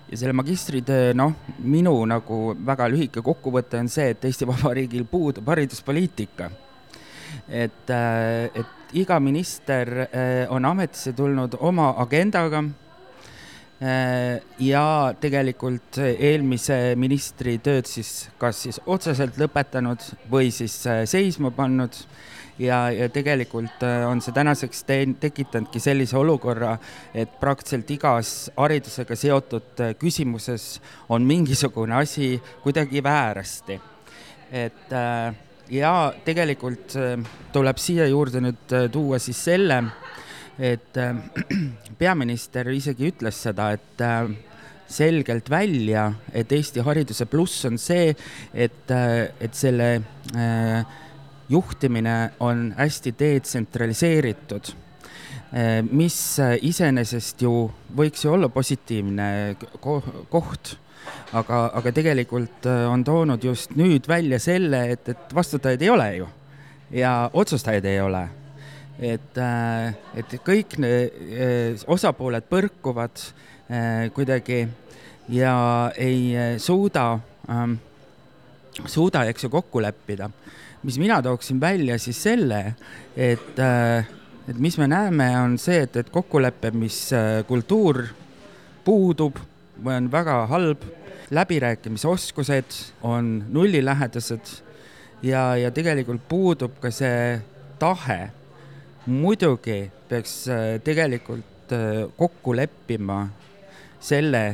Ja selle magistritöö, noh, minu nagu väga lühike kokkuvõte on see, et Eesti Vabariigil puudub hariduspoliitika. Et, et iga minister on ametisse tulnud oma agendaga ja tegelikult eelmise ministri tööd siis kas siis otseselt lõpetanud või siis seisma pannud. Ja, ja tegelikult on see tänaseks te- tekitanudki sellise olukorra, et praktiliselt igas haridusega seotud küsimuses on mingisugune asi kuidagi väärasti. Et, ja tegelikult tuleb siia juurde nüüd tuua siis selle, et peaminister isegi ütles seda, et selgelt välja, et Eesti hariduse pluss on see, et, et selle juhtimine on hästi detsentraliseeritud, mis iseenesest ju võiks ju olla positiivne koht, aga, aga tegelikult on toonud just nüüd välja selle, et, et vastutajaid ei ole ju ja otsustajaid ei ole. Et, et kõik ne, osapooled põrkuvad kuidagi ja ei suuda, suuda eks ju kokku leppida. Mis mina tooksin välja siis selle, et, et mis me näeme on see, et, et kokkulepe, mis kultuur puudub või on väga halb, läbirääkimisoskused on nullilähedased ja, ja tegelikult puudub ka see tahe. Muidugi peaks tegelikult kokku leppima selle,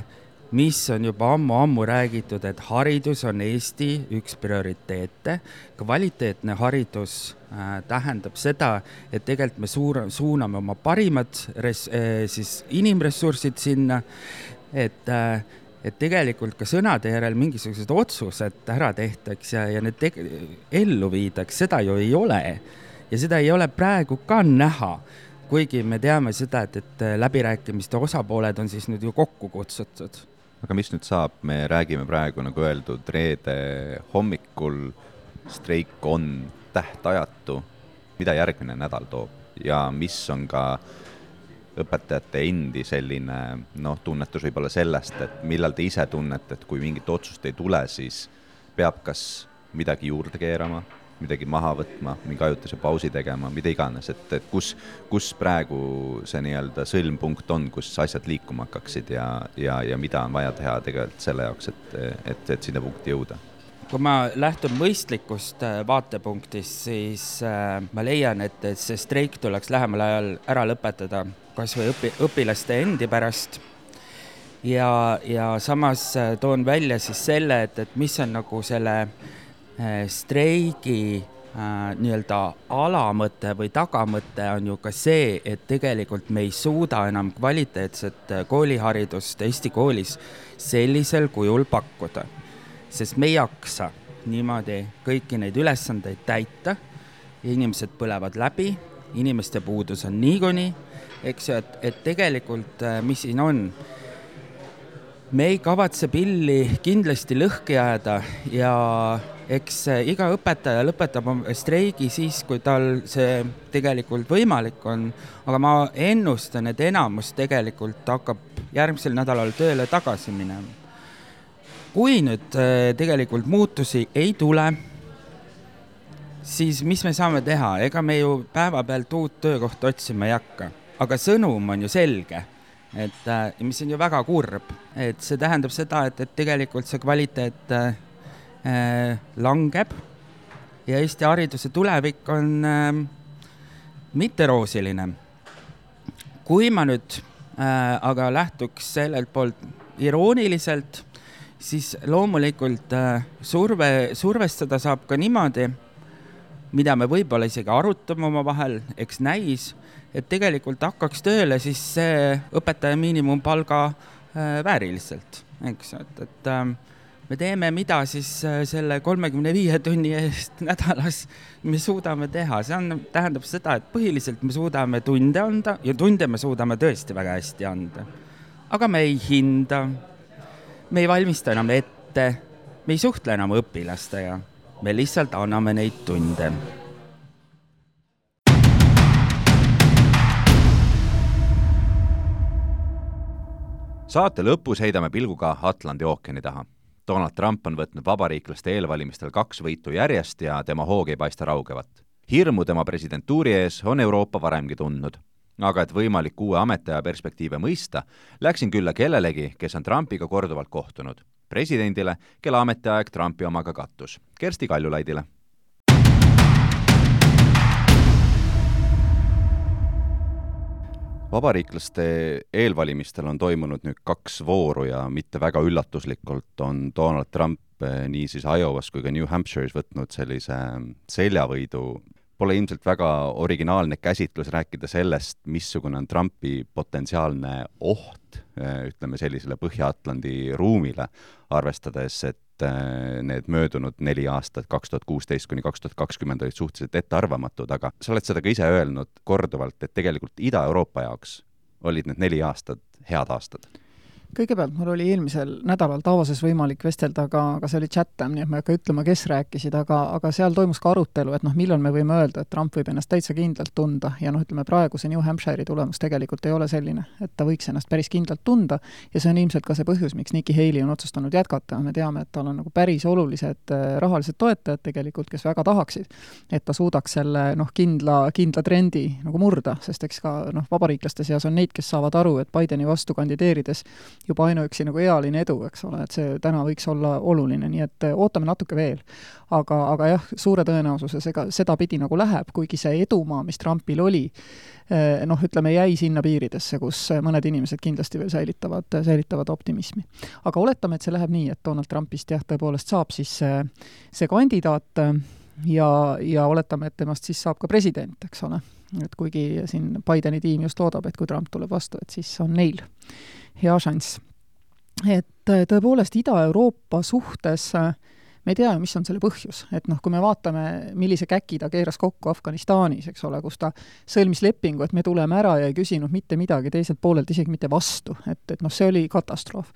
mis on juba ammu-ammu räägitud, et haridus on Eesti üks prioriteete. Kvaliteetne haridus äh, tähendab seda, et tegelikult me suur, suuname oma parimad res, äh, siis inimressursid sinna, et, äh, et tegelikult ka sõnade järel mingisugused otsused ära tehtaks ja, ja need te- ellu viidaks, seda ju ei ole. Ja seda ei ole praegu ka näha, kuigi me teame seda, et, et läbirääkimiste osapooled on siis nüüd ju kokku kutsutud. Aga mis nüüd saab? Me räägime praegu, nagu öeldud, reede hommikul, streik on tähtajatu. Mida järgmine nädal toob ja mis on ka õpetajate endi selline noh, tunnetus võib olla sellest, et millal te ise tunnete, et kui mingit otsust ei tule, siis peab kas midagi juurde keerama midagi maha võtma, mingi ajutise pausi tegema, mida iganes, et, et kus, kus praegu see nii-öelda sõlmpunkt on, kus asjad liikuma hakkaksid ja, ja, ja mida on vaja teha tegelikult selle jaoks, et, et, et sinna punkti jõuda? Kui ma lähtun mõistlikust vaatepunktist, siis ma leian, et see streik tuleks lähemal ajal ära lõpetada kas või õpi, õpilaste endi pärast ja, ja samas toon välja siis selle, et, et mis on nagu selle streigi äh, nii-öelda alamõte või tagamõte on ju ka see, et tegelikult me ei suuda enam kvaliteetset kooliharidust Eesti koolis sellisel kujul pakkuda, sest me ei jaksa niimoodi kõiki neid ülesandeid täita, inimesed põlevad läbi, inimeste puudus on niikuni, eks ju, et, et tegelikult mis siin on, me ei kavatse pilli kindlasti lõhki jääda ja eks iga õpetaja lõpetab streigi siis, kui tal see tegelikult võimalik on, aga ma ennustan, et enamus tegelikult hakkab järgmisel nädalal tööle tagasi minema. Kui nüüd tegelikult muutusi ei tule, siis mis me saame teha? Ega me ju päevapealt uut töökohta otsima ei hakka, aga sõnum on ju selge, et mis on ju väga kurb, et see tähendab seda, et, et tegelikult see kvaliteet langeb ja Eesti hariduse tulevik on äh, mitteroosiline. Kui ma nüüd äh, aga lähtuks sellelt poolt irooniliselt, siis loomulikult äh, surve, survestada saab ka niimoodi, mida me võib-olla isegi arutame oma vahel, eks näis, et tegelikult hakkaks tööle siis see õpetaja miinimumpalga äh, vääriliselt, eks, et, et äh, me teeme mida siis selle kolmekümne viie tunni eest nädalas me suudame teha. See on, tähendab seda, et põhiliselt me suudame tunde anda ja tunde me suudame tõesti väga hästi anda. Aga me ei hinda, me ei valmista enam ette, me ei suhtle enam õpilastega, me lihtsalt anname neid tunde. Saate lõpus heidame pilguga Atlandi ookeani taha. Donald Trump on võtnud vabariiklaste eelvalimistel kaks võitu järjest ja tema hoog ei paista raugevat. Hirmu tema presidentuuri ees on Euroopa varemgi tundnud. Aga et võimalik uue ametiaja perspektiive mõista, läksin külla kellelegi, kes on Trumpiga korduvalt kohtunud. Presidendile, kelle ametiaeg Trumpi omaga kattus. Kersti Kaljulaidile. Vabariiklaste eelvalimistel on toimunud nüüd kaks vooru ja mitte väga üllatuslikult on Donald Trump nii siis Iowas kui ka New Hampshire's võtnud sellise seljavõidu. Pole ilmselt väga originaalne käsitlus rääkida sellest, missugune on Trumpi potentsiaalne oht, ütleme sellisele Põhja-Atlandi ruumile, arvestades, et need möödunud neli aastat, kaks tuhat kuusteist kuni kaks tuhat kakskümmend olid suhteliselt ettearvamatud, aga sa oled seda ka ise öelnud korduvalt, et tegelikult Ida-Euroopa jaoks olid need neli aastat head aastad. Kõigepealt mul oli eelmisel nädalal Davosis võimalik vestelda, aga, aga see oli chatam, nii et ma ei hakka ütlema, kes rääkisid, aga, aga seal toimus ka arutelu, et noh, millal me võime öelda, et Trump võib ennast täitsa kindlalt tunda ja noh, ütleme praegu see New Hampshire'i tulemus tegelikult ei ole selline, et ta võiks ennast päris kindlalt tunda ja see on ilmselt ka see põhjus, miks Nikki Haley on otsustanud jätkata. Me teame, et tal on nagu päris olulised rahalised toetajad tegelikult, kes väga tahaksid, et ta suudaks selle noh, kindla, kindla trendi nagu murda, sest eks ka noh, vabariiklaste seas on neid, kes saavad aru, et Bideni vastu kandideerides juba ainuüksi nagu ealine edu, eks ole, et see täna võiks olla oluline, nii et ootame natuke veel. Aga, aga jah, suure tõenäosuses ega seda pidi nagu läheb, kuigi see edumaa, mis Trumpil oli, noh, ütleme, jäi sinna piiridesse, kus mõned inimesed kindlasti veel säilitavad, säilitavad optimismi. Aga oletame, et see läheb nii, et Donald Trumpist jah, tõepoolest saab siis see, see kandidaat ja, ja oletame, et temast siis saab ka president, eks ole. Et kuigi siin Bideni tiim just loodab, et kui Trump tuleb vastu, et siis on neil hea šanss. Et tõepoolest Ida-Euroopa suhtes me ei tea, mis on selle põhjus. Et noh, kui me vaatame, millise käki ta keeras kokku Afganistanis, eks ole, kus ta sõlmis lepingu, et me tuleme ära ja ei küsinud mitte midagi teiselt poolelt, isegi mitte vastu. Et, et noh, see oli katastroof.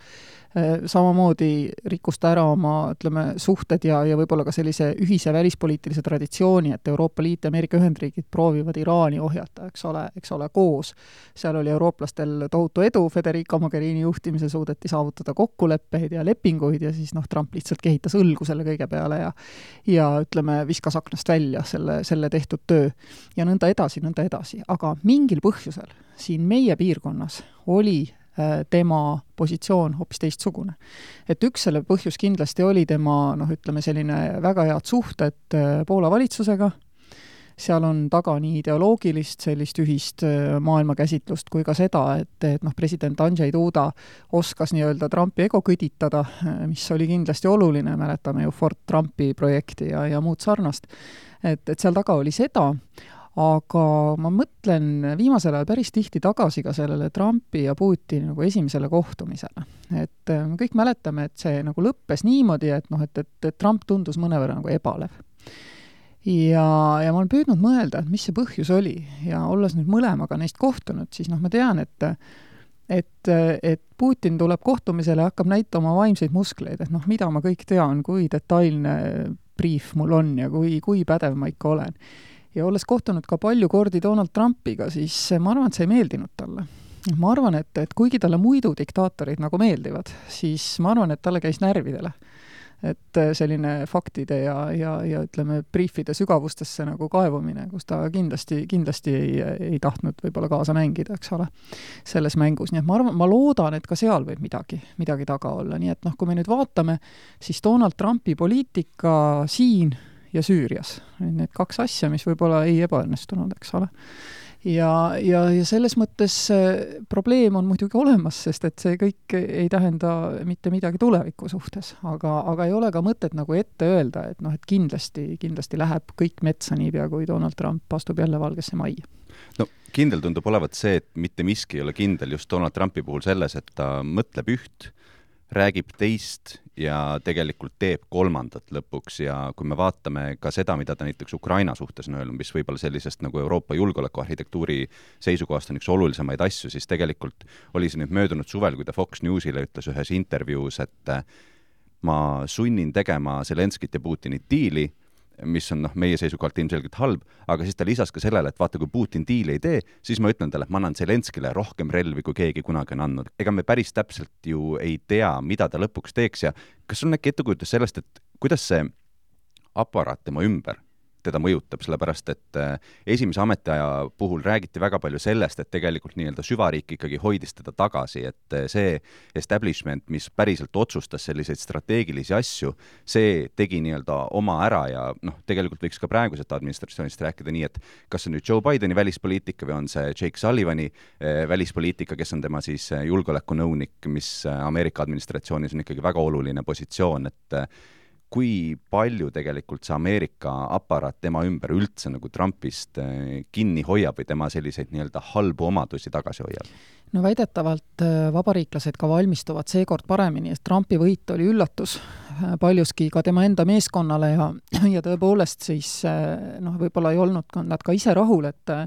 Samamoodi rikkus ta ära oma, ütleme, suhted ja, ja võib-olla ka sellise ühise välispoliitilise traditsiooni, et Euroopa Liit ja Ameerika Ühendriigid proovivad Iraani ohjata, eks ole, eks ole, koos. Seal oli eurooplastel tohutu edu, Federica Mogherini juhtimisel suudeti saavutada kokkuleppeid ja lepinguid ja siis noh, Trump lihtsalt kehitas õlgu selle selle kõige peale ja ja ütleme, viskas aknast välja selle, selle tehtud töö ja nõnda edasi, nõnda edasi. Aga mingil põhjusel siin meie piirkonnas oli tema positsioon hoopis teistsugune. Et üks selle põhjus kindlasti oli tema, noh ütleme, selline väga head suhted Poola valitsusega, seal on taga nii ideoloogilist sellist ühist maailmakäsitlust kui ka seda, et, et noh, president Andrzej Duda oskas nii-öelda Trumpi ego kõditada, mis oli kindlasti oluline, mäletame ju Fort Trumpi projekti ja, ja muud sarnast. Et, et seal taga oli seda, aga ma mõtlen viimasel ajal päris tihti tagasi ka sellele Trumpi ja Putini nagu esimesele kohtumisele. Et me kõik mäletame, et see nagu lõppes niimoodi, et, noh, et, et, et Trump tundus mõnevõrra nagu ebalev. Ja, ja ma olen püüdnud mõelda, et mis see põhjus oli ja olles nüüd mõlemaga neist kohtunud, siis noh, ma tean, et et, et Putin tuleb kohtumisele ja hakkab näitama vaimseid muskleid, et noh, mida ma kõik tean, kui detailne brief mul on ja kui, kui pädev ma ikka olen. Ja olles kohtunud ka palju kordi Donald Trumpiga, siis ma arvan, et see ei meeldinud talle. Ma arvan, et, et kuigi talle muidu diktaatorid nagu meeldivad, siis ma arvan, et talle käis närvidele. Et selline faktide ja, ja, ja ütleme, briefide sügavustesse nagu kaevumine, kus ta kindlasti, kindlasti ei, ei tahtnud võib-olla kaasa mängida, eks ole, selles mängus. Nii et ma arvan, ma loodan, et ka seal võib midagi, midagi taga olla. Nii et noh, kui me nüüd vaatame, siis Donald Trumpi poliitika siin ja Süürias. Need kaks asja, mis võib-olla ei ebaõnnestunud, eks ole. Ja, ja, ja selles mõttes probleem on muidugi olemas, sest et see kõik ei tähenda mitte midagi tuleviku suhtes, aga, aga ei ole ka mõtet nagu ette öelda, et noh, et kindlasti, kindlasti läheb kõik metsa niipea, kui Donald Trump astub jälle valgesse majja. No kindel tundub olevat see, et mitte miski ei ole kindel just Donald Trumpi puhul selles, et ta mõtleb üht, räägib teist ja tegelikult teeb kolmandat lõpuks ja kui me vaatame ka seda, mida ta näiteks Ukraina suhtes on öelnud, mis võib-olla sellisest nagu Euroopa julgeolekuarhitektuuri seisukohast on üks olulisemaid asju, siis tegelikult oli see nüüd möödunud suvel, kui ta Fox Newsile ütles ühes intervjuus, et ma sunnin tegema Zelenskit ja Putinit diili, mis on noh, meie seisukohalt ilmselgelt halb, aga siis ta lisas ka sellele, et vaata, kui Putin diili ei tee, siis ma ütlen talle, et ma annan Zelenskile rohkem relvi, kui keegi kunagi on andnud. Ega me päris täpselt ju ei tea, mida ta lõpuks teeks ja kas sul on äkki ettekujutus sellest, et kuidas see aparaat tema ümber teda mõjutab, sellepärast et esimese ametiaja puhul räägiti väga palju sellest, et tegelikult nii-öelda süvariik ikkagi hoidis teda tagasi, et see establishment, mis päriselt otsustas selliseid strateegilisi asju, see tegi nii-öelda oma ära ja noh, tegelikult võiks ka praegusest administratsioonist rääkida nii, et kas see nüüd Joe Bideni välispoliitika või on see Jake Sullivani välispoliitika, kes on tema siis julgeolekunõunik, mis Ameerika administratsioonis on ikkagi väga oluline positsioon, et kui palju tegelikult see Ameerika aparaat tema ümber üldse nagu Trumpist kinni hoiab või tema selliseid nii-öelda halbu omadusi tagasi hoiab? No väidetavalt vabariiklased ka valmistuvad seekord paremini, et Trumpi võit oli üllatus paljuski ka tema enda meeskonnale ja, ja tõepoolest siis noh, võib-olla ei olnud nad ka ise rahul, et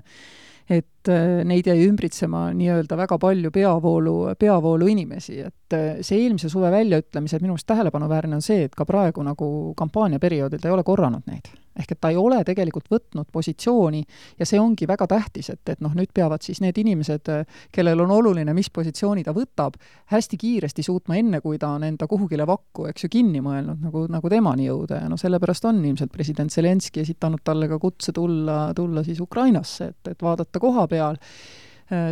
et neid jäi ümbritsema nii-öelda väga palju peavoolu, peavoolu inimesi, et see eelmise suve väljaütlemised minu arust tähelepanuväärne on see, et ka praegu nagu kampaaniaperioodil ta ei ole korranud neid. Ehk et ta ei ole tegelikult võtnud positsiooni ja see ongi väga tähtis, et, et noh, nüüd peavad siis need inimesed, kellel on oluline, mis positsiooni ta võtab, hästi kiiresti suutma enne, kui ta on enda kuhugile vakku, eks ju, kinni mõelnud, nagu, nagu temani jõuda ja no sellepärast on ilmselt president Zelenski esitanud talle ka kutse tulla, tulla siis Ukrainasse, et, et vaadata koha peal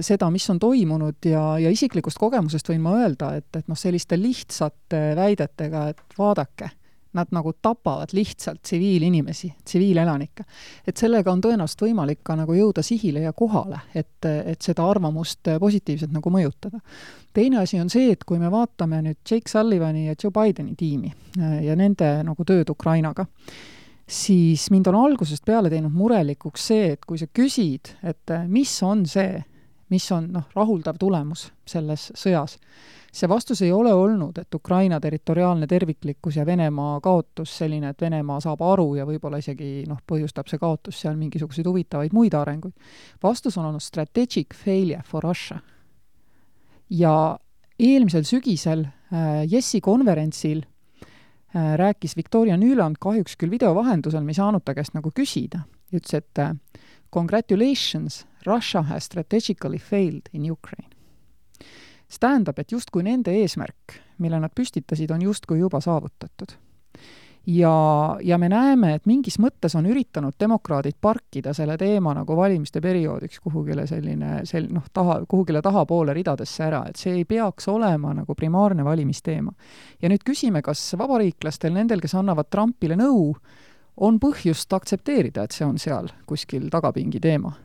seda, mis on toimunud ja, ja isiklikust kogemusest võin ma öelda, et, et noh, selliste lihtsate väidetega, et vaadake, nad nagu tapavad lihtsalt tsiviilinimesi, tsiviilelanikke. Et sellega on tõenäoliselt võimalik ka nagu jõuda sihile ja kohale, et, et seda arvamust positiivselt nagu mõjutada. Teine asi on see, et kui me vaatame nüüd Jake Sullivani ja Joe Bideni tiimi ja nende nagu tööd Ukrainaga, siis mind on algusest peale teinud murelikuks see, et kui sa küsid, et mis on see, mis on noh, rahuldav tulemus selles sõjas, see vastus ei ole olnud, et Ukraina territoriaalne terviklikkus ja Venemaa kaotus selline, et Venemaa saab aru ja võib-olla isegi noh, põhjustab see kaotus seal mingisuguseid huvitavaid muid arenguid. Vastus on olnud strategic failure for Russia. Ja eelmisel sügisel äh, Jessi konverentsil äh, rääkis Victoria Nuland kahjuks küll videovahendusel, me ei saanud ta käest nagu küsida. Ütles, et äh, congratulations, Russia has strategically failed in Ukraine. See tähendab, et justkui nende eesmärk, mille nad püstitasid, on justkui juba saavutatud. ja, ja me näeme, et mingis mõttes on üritanud demokraadid parkida selle teema nagu valimiste perioodiks kuhugile selline, sel, noh, taha, kuhugile tahapoole ridadesse ära, et see ei peaks olema nagu primaarne valimisteema. Ja nüüd küsime, kas vabariiklastel, nendel, kes annavad Trumpile nõu, on põhjust aktsepteerida, et see on seal kuskil tagapingi teema.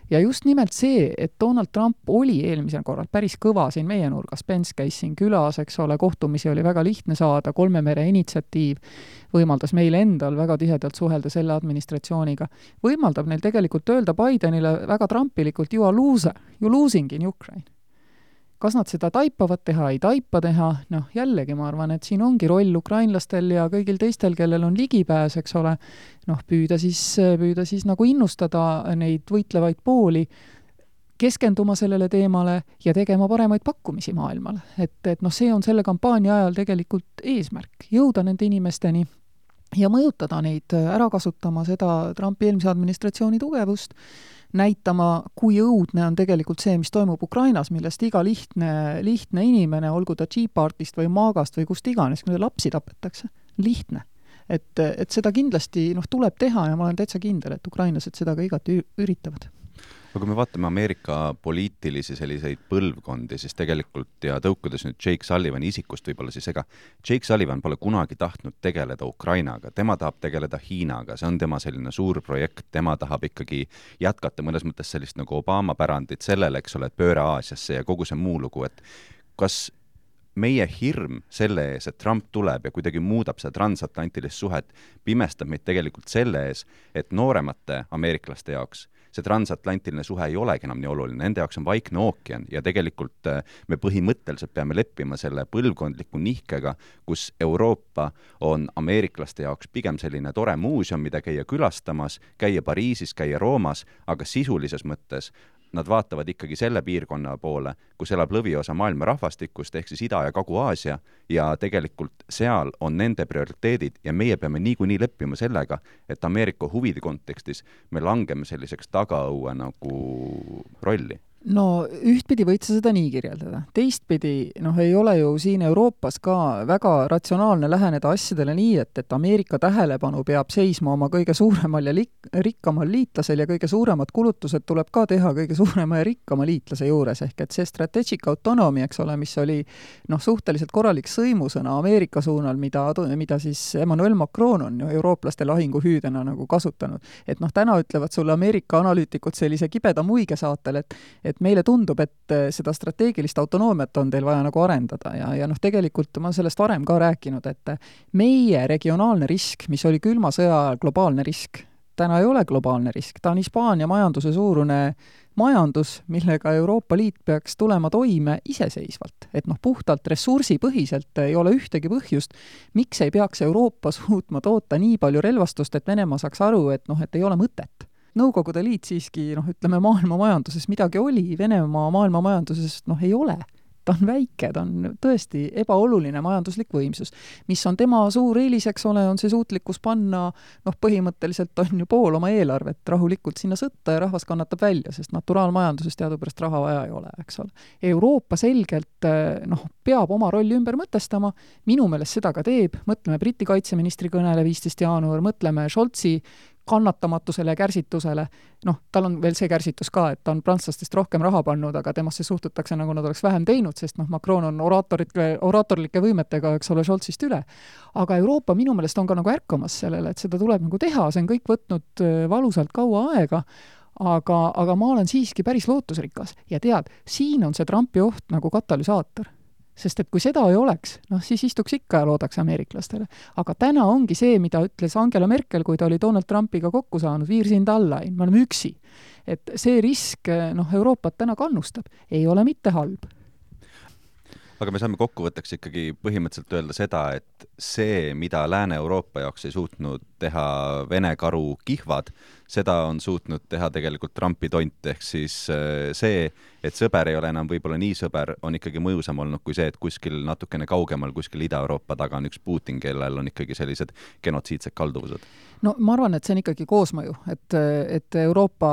Ja just nimelt see, et Donald Trump oli eelmisel korral päris kõva siin meie nurgas, Pence käis siin külas, eks ole, kohtumisi oli väga lihtne saada, kolme mere initsiatiiv võimaldas meil endal väga tihedalt suhelda selle administratsiooniga, võimaldab neil tegelikult öelda Bidenile väga trumpilikult, you are loser, you losing in Ukraine. Kas nad seda taipavad teha, ei taipa teha, noh jällegi ma arvan, et siin ongi roll ukrainlastel ja kõigil teistel, kellel on ligipääs, eks ole, noh püüda siis, püüda siis nagu innustada neid võitlevaid pooli, keskenduma sellele teemale ja tegema paremaid pakkumisi maailmale. Et, et noh, see on selle kampaania ajal tegelikult eesmärk, jõuda nende inimesteni ja mõjutada neid ära kasutama seda Trumpi eelmise administratsiooni tugevust, näitama, kui õudne on tegelikult see, mis toimub Ukrainas, millest iga lihtne, lihtne inimene, olgu ta G-partist või maagast või kust iganes, kui lapsi tapetakse, lihtne. Et, et seda kindlasti noh, tuleb teha ja ma olen täitsa kindel, et ukrainlased seda ka igati üritavad. Aga kui me vaatame Ameerika poliitilisi selliseid põlvkondi, siis tegelikult ja tõukudes nüüd Jake Sullivani isikust võib-olla siis ega Jake Sullivan pole kunagi tahtnud tegeleda Ukrainaga, tema tahab tegeleda Hiinaga, see on tema selline suur projekt, tema tahab ikkagi jätkata mõnes mõttes sellist nagu Obama pärandit sellele, eks ole, et pööre Aasiasse ja kogu see muu lugu, et kas meie hirm selle ees, et Trump tuleb ja kuidagi muudab seda transatlantilist suhet, pimestab meid tegelikult selle ees, et nooremate ameeriklaste jaoks see transatlantiline suhe ei olegi enam nii oluline, nende jaoks on Vaikne ookean ja tegelikult me põhimõtteliselt peame leppima selle põlvkondliku nihkega, kus Euroopa on ameeriklaste jaoks pigem selline tore muuseum, mida käia külastamas, käia Pariisis, käia Roomas, aga sisulises mõttes nad vaatavad ikkagi selle piirkonna poole, kus elab lõviosa maailma rahvastikust, ehk siis Ida- ja Kagu-Aasia, ja tegelikult seal on nende prioriteedid ja meie peame niikuinii leppima sellega, et Ameerika huvide kontekstis me langeme selliseks tagaõue nagu rolli. No ühtpidi võid sa seda nii kirjeldada. Teistpidi, noh, ei ole ju siin Euroopas ka väga ratsionaalne läheneda asjadele nii, et, et Ameerika tähelepanu peab seisma oma kõige suuremal ja lik- rikkamal liitlasel ja kõige suuremad kulutused tuleb ka teha kõige suurema ja rikkama liitlase juures. Ehk et see strategic autonomy, eks ole, mis oli noh, suhteliselt korralik sõimusõna Ameerika suunal, mida, mida siis Emmanuel Macron on ju eurooplaste lahinguhüüdena nagu kasutanud. Et noh, täna ütlevad sulle Ameerika analüütikud sellise kibeda muige saatel, et et meile tundub, et seda strateegilist autonoomiat on teil vaja nagu arendada ja, ja noh, tegelikult ma sellest varem ka rääkinud, et meie regionaalne risk, mis oli külma sõja globaalne risk, täna ei ole globaalne risk, ta on Hispaania majanduse suurune majandus, millega Euroopa Liit peaks tulema toime iseseisvalt. Et noh, puhtalt ressursipõhiselt ei ole ühtegi põhjust, miks ei peaks Euroopa suutma toota nii palju relvastust, et Venemaa saaks aru, et noh, et ei ole mõtet. Nõukogude liit siiski, noh, ütleme, maailma majanduses midagi oli, Venemaa maailma majanduses, noh, ei ole. Ta on väike, ta on tõesti ebaoluline majanduslik võimsus. Mis on tema suur eelis, eks ole, on see suutlikkus panna, noh, põhimõtteliselt on ju pool oma eelarvet rahulikult sinna sõtta ja rahvas kannatab välja, sest naturaalmajanduses teadupärast raha vaja ei ole, eks ole. Euroopa selgelt, noh, peab oma rolli ümber mõtestama, minu meelest seda ka teeb, mõtleme Briti kaitseministri kõnele viisteist jaanuar, mõtleme Scholzi kannatamatusele ja kärsitusele, noh, tal on veel see kärsitus ka, et ta on prantslastest rohkem raha pannud, aga temasse suhtutakse nagu nad oleks vähem teinud, sest noh, Macron on oraatorite, oraatorlike võimetega, eks ole, Scholzist üle. Aga Euroopa minu meelest on ka nagu ärkamas sellele, et seda tuleb nagu teha, see on kõik võtnud valusalt kaua aega, aga, aga ma olen siiski päris lootusrikas. Ja tead, siin on see Trumpi oht nagu katalüsaator. Sest et kui seda ei oleks, noh, siis istuks ikka ja loodaks ameeriklastele. Aga täna ongi see, mida ütles Angela Merkel, kui ta oli Donald Trumpiga kokku saanud, viirsind allain, me oleme üksi. Et see risk, noh, Euroopat täna kannustab, ei ole mitte halb. Aga me saame kokkuvõtteks ikkagi põhimõtteliselt öelda seda, et see, mida Lääne-Euroopa jaoks ei suutnud teha Vene karu kihvad, seda on suutnud teha tegelikult Trumpi tont, ehk siis see, et sõber ei ole enam võib-olla nii sõber, on ikkagi mõjusam olnud kui see, et kuskil natukene kaugemal, kuskil Ida-Euroopa taga on üks Putin, kellel on ikkagi sellised genotsiidsed kalduvused. No ma arvan, et see on ikkagi koosmõju, et, et Euroopa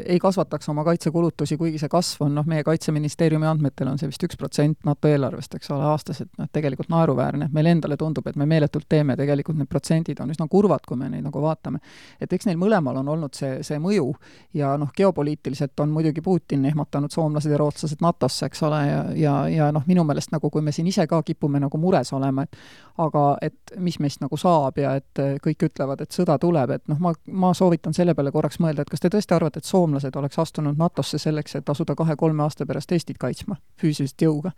ei kasvataks oma kaitsekulutusi, kuigi see kasv on, noh, meie kaitseministeeriumi andmetel on see vist üks protsent NATO eelarvest, eks ole, aastas, et noh, tegelikult naeruväärne. Meil endale tundub, et me meeletult teeme, tegelikult need protsendid on üsna kurvad, kui me neid nagu vaatame. Et eks neil mõlemal on olnud see, see mõju ja noh, geopoliitiliselt on muidugi Putin ehmatanud soomlased ja rootslased NATOsse, eks ole, ja, ja, ja noh, minu meelest nagu, kui me siin ise ka kipume nagu mures olema, et aga et mis meist nagu saab ja et kõik ütlevad, et sõda tuleb, et noh, ma, ma soovitan selle peale korraks mõelda, et kas te tõesti arvate, et soomlased oleks astunud NATOsse selleks, et asuda kahe-kolme aasta pärast Eestit kaitsma füüsilist jõuga.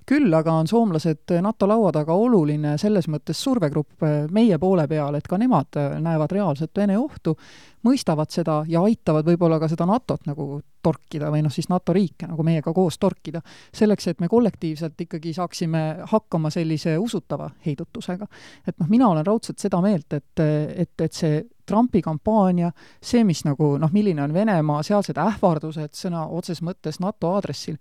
Küll aga on soomlased NATO laua taga oluline selles mõttes survegrupp meie poole peal, et ka nemad näevad reaalselt Vene ohtu, mõistavad seda ja aitavad võib-olla ka seda NATOt nagu torkida või noh, siis NATO riike nagu meiega koos torkida, selleks, et me kollektiivselt ikkagi saaksime hakkama sellise usutava heidutusega. Et noh, mina olen raudselt seda meelt, et, et, et see Trumpi kampaania, see, mis nagu, noh, milline on Venemaa, sealsed ähvardused sõna otses mõttes NATO aadressil,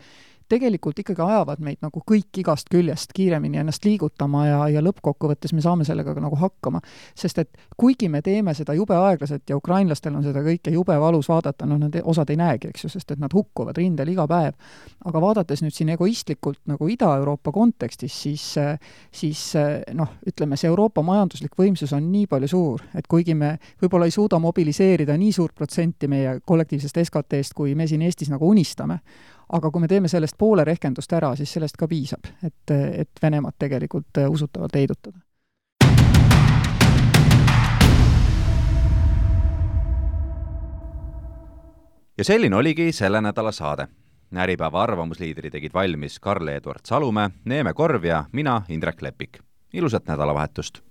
tegelikult ikkagi ajavad meid nagu kõik igast küljest kiiremini ennast liigutama ja, ja lõppkokkuvõttes me saame sellega nagu hakkama. Sest et kuigi me teeme seda jube aeglaselt ja ukrainlastel on seda kõike jube valus vaadata, no nad osad ei näegi, eks ju, sest et nad hukkuvad rindel iga päev. Aga vaadates nüüd siin egoistlikult nagu Ida-Euroopa kontekstis, siis, siis noh, ütleme, see Euroopa majanduslik võimsus on nii palju suur, et kuigi me võib-olla ei suuda mobiliseerida nii suurt protsenti meie kollektiivsest S K T-st, kui me siin Eestis nagu unistame, aga kui me teeme sellest poole rehkendust ära, siis sellest ka piisab, et, et Venemaad tegelikult usutavalt heidutada. Ja selline oligi selle nädala saade. Äripäeva arvamusliidri tegid valmis Karl-Eduard Salumäe, Neeme Korv ja mina, Indrek Lepik. Ilusat nädalavahetust!